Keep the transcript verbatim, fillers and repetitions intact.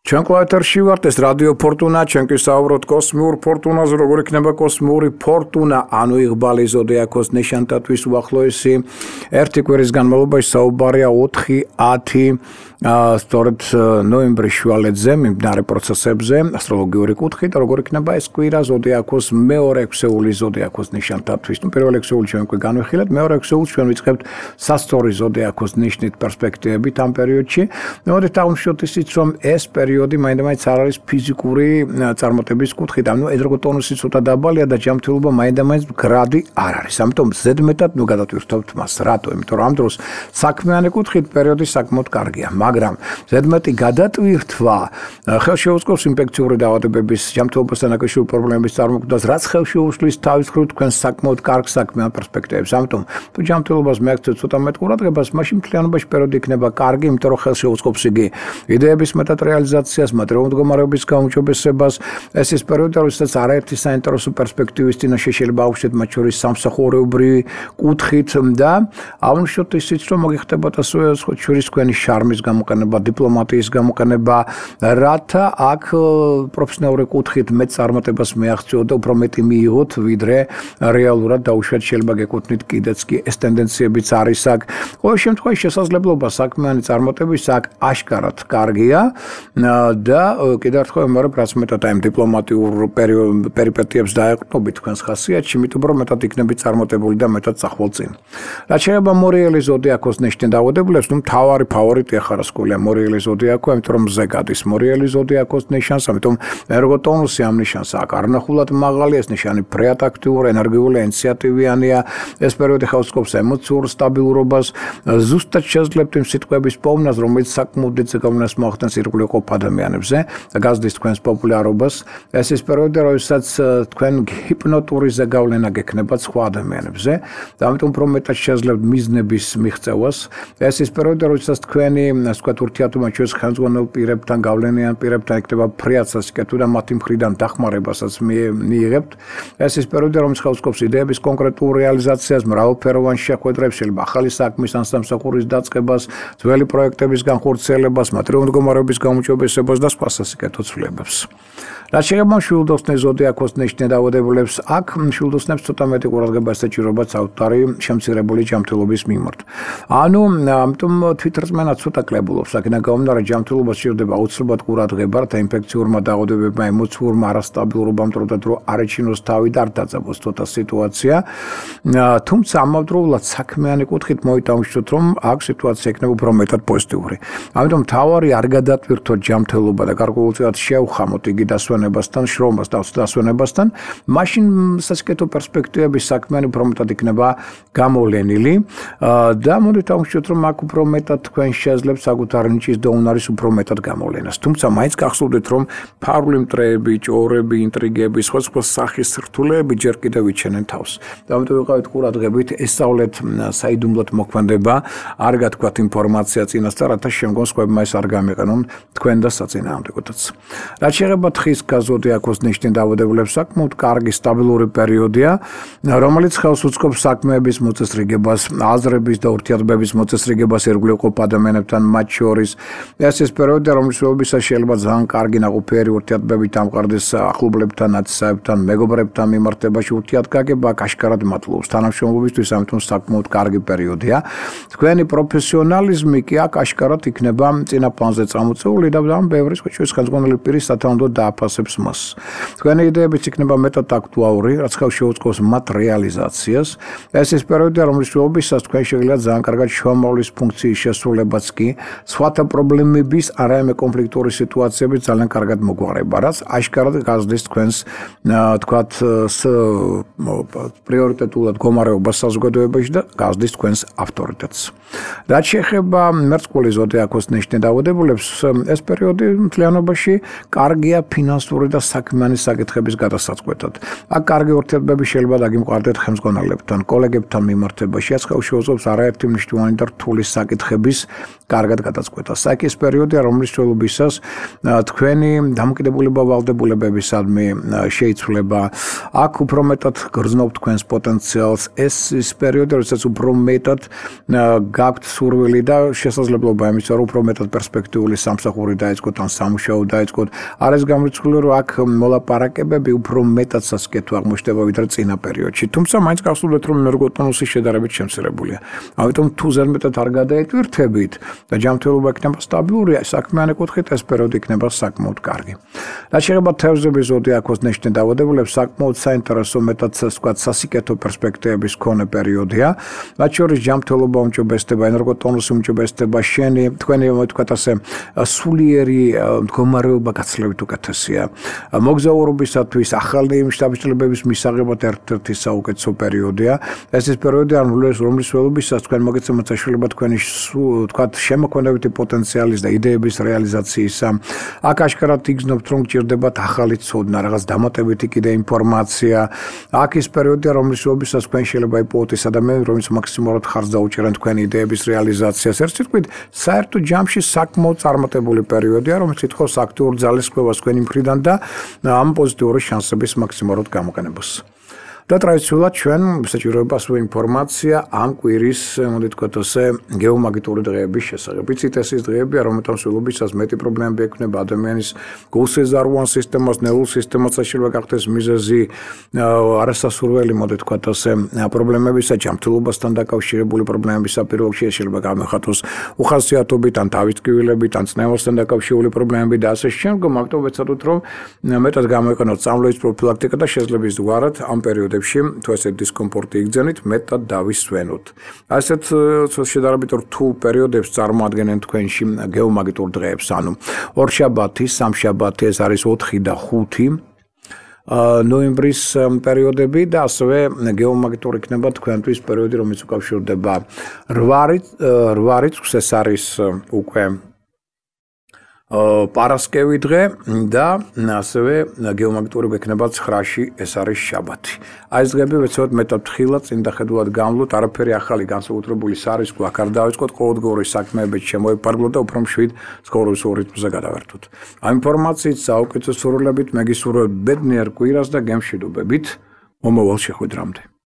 ჩვენ კლავეთერში ვართ, ეს რადიო ფორტუნა, ჩვენ კი საუბრობთ კოსმიურ ფორტუნაზე, როგორ იქნება კოსმიური ფორტუნა, ანუ იღბალი ზოდიაქოს ნიშანთათვის უახლოესი ერთი კვირის განმავლობაში საუბარია ოთხი ათი სწორედ ნოემბრის შუალედზე მიმდინარე პროცესებზე, ასტროლოგიური კუთხით, როგორ იქნება ეს კვირა ზოდიაქოს მეორე ექვსეული ზოდიაქოს ნიშანთათვის. ნუ პირველ ექვსეულს ჩვენ უკვე განვიხილეთ, მეორე ექვსეულს ჩვენ ვიწყებთ სასწორი ზოდიაქოს ნიშნით პერსპექტივებით ამ პერიოდში. მოდით დავუშვოთ ისიც, რომ ეს პერიოდი მაინდა-მაინც არ არის ფიზიკური წარმატების კუთხით, ანუ ენერგო ტონუსი ცოტა დაბალია და ჯანმრთელობა მაინდა-მაინც გრადი არ არის. ამიტომ ზედმეტად ნუ გადავტვირთებთ მას. რატო? იმიტომ რომ ამ დროს საქმიანი კუთხით პერიოდი საკმაოდ კარგია, მაგრამ ზედმეტი გადატვირთვა ხელშეუწყობს ინფექციური დაავადებების, ჯანმრთელობასთან დაკავშირებული პრობლემების წარმოქმნას, რაც ხელშეუშლის თავის მხრივ თქვენ საკმაოდ კარგ საქმიან პერსპექტივებს. ამიტომ თუ ჯანმრთელობას მიაქცევთ ცოტა მეტ ყურადღებას, მაშინ მთლიანობაში პერიოდი იქნება კარგი, იმიტომ რომ ხელშეუწყობს იგი იდეების მეტად რეალიზაციას, materiალური მდგომარეობის გაუმჯობესებას. ეს ის პერიოდი, როდესაც არაერთი საინტერესო პერსპექტივის წინაშე შეიძლება აუშვეთ, მათ შორის სამსახურებრივი კუთხით და აუშვეთ ისიც, რომ მოგიხდებათ ასევე შორის თქვენი შარმის გამოყენება, დიპლომატიის გამოყენება, რათა აქ პროფესიონალური კუთხით მეტ წარმატებას მიაღწიოთ და უფრო მეტი მიიღოთ, ვიდრე რეალურად დაუშვათ შეიძლება გეკუთვნით კიდეც კი ეს ტენდენციებიც არის აქ. ყოველ შემთხვევაში შესაძლებლობა საქმიანი წარმატების აქ აშკარად კარგია და კიდევ ერთხელ ვიმეორებ, რაც მეტად აი დიპლომატიურ პერიპეტიებს დაეყრდნობით თქვენს ხასიათში, მით უფრო მეტად იქნებით წარმატებული და მეტად წახვალ წინ. რაც შეიძლება მორიელი ზოდიაქოს ნიშნით დაავადებულებს, ნუ მთავარი ფავორიტი ახარასკულია მორიელი ზოდიაქო, იმიტომ რომ მზე გადის მორიელი ზოდიაქოს ნიშანს, ამიტომ ენერგო ტონუსი ამ ნიშანს აქ არნახულად მაღალია, ეს ნიშანი ფრეად აქტიური, ენერგიული, ინიციატივიანია, ეს პერიოდი ხელს ემოციურ სტაბილურობას, ზუსტად შეძლებთ იმ სიტყვების პოვნას, რომელიც საკმაოდ დიდ ზეგავლენას მოახდენს ირგვლივ ყოფ ადამიანებზე და გაზრდის თქვენს პოპულარობას. ეს ის პერიოდი, როდესაც თქვენ ჰიპნოტური ზეგავლენა გექნებათ სხვა ადამიანებზე და ამიტომ უფრო მეტად შეძლებთ მიზნების მიღწევას. ეს ის პერიოდი, როდესაც თქვენი, ასე ვთქვათ, ურთიერთობა ჩვენს ხელმძღვანელ პირებთან, გავლენიან პირებთან იქნება ფრიად სასიკეთო და მათი მხრიდან დახმარებასაც მიიღებთ. ეს ის პერიოდი, რომელიც ხელს იდეების კონკრეტულ რეალიზაციას, მრავალფეროვან შეხვედრებს, შეიძლება ახალი საქმის ან სამსახურის დაწყებას, ძველი პროექტების განხორციელებას, materiალური მდგომარეობის გაუმჯობესებას და სხვა სასიკეთო ცვლილებებს. რაც შეეხება მშვილდოსნის ზოდიაქოს ნიშნით დაავადებულებს, აქ მშვილდოსნებს ცოტა მეტი ყურადღება ესაჭიროებათ საუთარი შემცირებული ჯანმრთელობის მიმართ. ანუ ამიტომ თვითრწმენა ცოტა კლებულობს, აქედან გამომდინარე ჯანმრთელობა სჭირდება აუცილებლად ყურადღება, რათა ინფექციურმა დაავადებებმა, ემოციურმა არასტაბილურობამ დროდადრო დრო არ ეჩინოს თავი და არ დაძაბოს ცოტა სიტუაცია. თუმცა ამავდროულად საქმიანი კუთხით მოიტანხმოთ, რომ აქ სიტუაცია იქნება უფრო მეტად პოზიტიური. ამიტომ მთავარი არ გადატვირთოთ ჯანმრთელობა და გარკვეულწილად შევხამოთ იგი დასვენებასთან, შრომას და დასვენებასთან, მაშინ სასიკეთო პერსპექტივების საქმიანი უფრო მეტად იქნება გამოვლენილი და მოდით ავუშვათ, რომ აქ უფრო მეტად თქვენ შეძლებთ საკუთარი ნიჭის და უნარის უფრო მეტად გამოვლენას. თუმცა მაინც გახსოვდეთ, რომ ფარული მტრეები, ჭორები, ინტრიგები, სხვა სხვა სახის სრთულეები ჯერ კიდევ იჩენენ თავს. და ამიტომ ვიყავით ყურადღებით, ესწავლეთ საიდუმლოდ მოქმედება, არ გათქვათ ინფორმაცია წინასწარ, რათა შემდგომ სხვებმა ეს არ გამიყენონ თქვენ და საწინააღმდეგოდაც. რაც შეეხება თხის ზოდიაქოს ნიშნით დაავადებულებს, საკმაოდ კარგი სტაბილური პერიოდია, რომელიც ხელს უწყობს საქმეების მოწესრიგებას, აზრების და ურთიერთობების მოწესრიგებას ირგვლივ ყოფ ადამიანებთან, მათ შორის. ეს ის პერიოდია, რომლის შეფერილობისას შეიძლება ძალიან კარგი ნაყოფიერი ურთიერთობები დამყარდეს ახლობლებთან, ნათესავებთან, მეგობრებთან მიმართებაში ურთიერთგაგება აშკარად მადლობს თანამშრომლობისთვის, ამიტომ საკმაოდ კარგი პერიოდია. თქვენი პროფესიონალიზმი კი აქ აშკარად იქნება წინა პლანზე წამოწეული და ამ ბევრი სხვაჩვენს ხელმძღვანელი პირის სათანადოდ დააფასებს მას. თქვენი იდეებიც იქნება მეტად აქტუალური, რაც ხელს შეუწყობს მათ რეალიზაციას. ეს ის პერიოდია, რომლის შეფერილობისას თქვენ შეგიძლიათ ძალიან კარგად შუამავლის ფუნქციის შესრულებაც კი სხვათა პრობლემების, არამედ კონფლიქტური სიტუაციების ძალიან კარგად მოგვარება, რაც აშკარად გაზრდის თქვენს თქვათ პრიორიტეტულად მდგომარეობას საზოგადოებაში და გაზრდის თქვენს ავტორიტეტს. რაც შეეხება მერწყული ზოდიაქოს ნიშნით დაავადებულებს, ეს პერიოდი მთლიანობაში კარგია ფინანსური და საქმიანი საკითხების გადასაწყვეტად. აქ კარგი ურთიერთობები შეიძლება დაგიმყარდეთ ხელმძღვანელებთან, კოლეგებთან მიმართებაში, რაც ხელს შეუწყობს არაერთი მნიშვნელოვანი და რთული საკითხების კარგად გადაწყვეტას. აქ ეს პერიოდია, რომლის შეფერილობისას თქვენი დამოკიდებულება ვალდებულებებისადმი შეიცვლება. აქ უფრო მეტად გრძნობთ თქვენს პოტენციალს. ეს ის პერიოდი, როდესაც უფრო მეტად გაქვთ სურვილი და შესაძლებლობა იმისა, რომ უფრო მეტად პერსპექტიული სამსახური დაეწყოთ დაიწყოთ ან სამუშაო დაიწყოთ. არის გამორიცხული რომ აქ მოლაპარაკებები უფრო მეტად სასიკეთო აღმოჩნდება ვიდრე წინა პერიოდში. თუმცა მაინც გახსოვდეთ რომ ენერგოტონუსი შედარებით შემცირებულია. ამიტომ თუ ზედმეტად არ გადაეტვირთებით და ჯანმრთელობა იქნება სტაბილური, საქმიანი კუთხით ეს პერიოდი იქნება საკმაოდ კარგი. რაც შეეხება თევზების ზოდიაქოს ნიშნით დაავადებულებს, საკმაოდ საინტერესო მეტად ვთქვათ სასიკეთო პერსპექტივების მქონე პერიოდია. რაც შორის ჯანმრთელობა უმჯობესდება, ენერგოტონუსი უმჯობესდება, შენი თქვენი ვთქვათ ასე სულიერი მდგომარეობა გაცილებით უკეთესია. მოგზაურობისათვის ახალი შთაბეჭდილებების მისაღებად ერთ-ერთი საუკეთესო პერიოდია. ეს ის პერიოდი, რომლის ველობისას თქვენ მოგეცემათ საშუალება თქვენი ვთქვათ შემოქმედებითი პოტენციალის და იდეების რეალიზაციისა. აქ აშკარად იგრძნობთ რომ გჭირდებათ ახალი ცოდნა, რაღაც დამატებითი კიდე ინფორმაცია. აქ ის პერიოდია, რომლის ველობისას თქვენ შეიძლება იპოვოთ ის ადამიანი, რომელიც მაქსიმალურად ხარჯს დაუჭერენ თქვენი იდეების რეალიზაციას. ერთ სიტყვით, საერთო ჯამში საკმაოდ წარმატებული პერიოდია, რომელიც ითხოვს აქტიურ ძალისხმევას თქვენი მხრიდან და ამ პოზიტიური შანსების მაქსიმალურად გამოყენებას. და ტრადიციულად ჩვენ საჭიროებას ინფორმაცია ამ კვირის, მოდი თქვათ ასე, გეომაგნიტური დღეების შესახებ. იცით, ეს ის დღეებია, რომელთაც სულობისას მეტი პრობლემები ექნება ადამიანის გულსეზარუან სისტემას, ნერვულ სისტემას, შეიძლება გახდეს მიზეზი არასასურველი, მოდი თქვათ ასე, პრობლემებისა, ჯანმრთელობასთან დაკავშირებული პრობლემებისა, პირველ რიგში შეიძლება გამოხატოს უხასიათობით, ან თავისტკივილებით, ან წნევასთან დაკავშირებული პრობლემები და ასე შემდგომ. ამიტომ ვეცადოთ, რომ მეტად გამოიყენოთ წამლების პროფილაქტიკა და შეძლებს გვარად ამ პერიოდში თუ ესე დისკომფორტი იგრძენით, მეტად დავისვენოთ. ასეთ შედარებით რთულ პერიოდებს წარმოადგენენ თქვენში გეომაგნიტურ დღეებს, ანუ ორშაბათი, სამშაბათი, ეს არის ოთხი და ხუთი ნოემბრის პერიოდები და ასევე გეომაგნიტური იქნება თქვენთვის პერიოდი, რომელიც უკავშირდება რვა რიცხვს, ეს არის უკვე პარასკევი დღე და ასევე გეომაგნიტური გვექნება ცხრაში, ეს არის შაბათი. აი ეს დღეები ვეცადოთ მეტად ფრთხილად წინ დახედულად გამვლოთ, არაფერი ახალი განსაკუთრებული სარისკო აქ არ დავიწყოთ, ყოველდღიური საქმეებით შემოიფარგლოთ და უფრო მშვიდ ცხოვრების რიტმზე გადავერთოთ. ამ ინფორმაციით საუკეთესო სურვილებით მე გისურვებ ბედნიერ კვირას და გემშვიდობებით მომავალ შეხვედრამდე.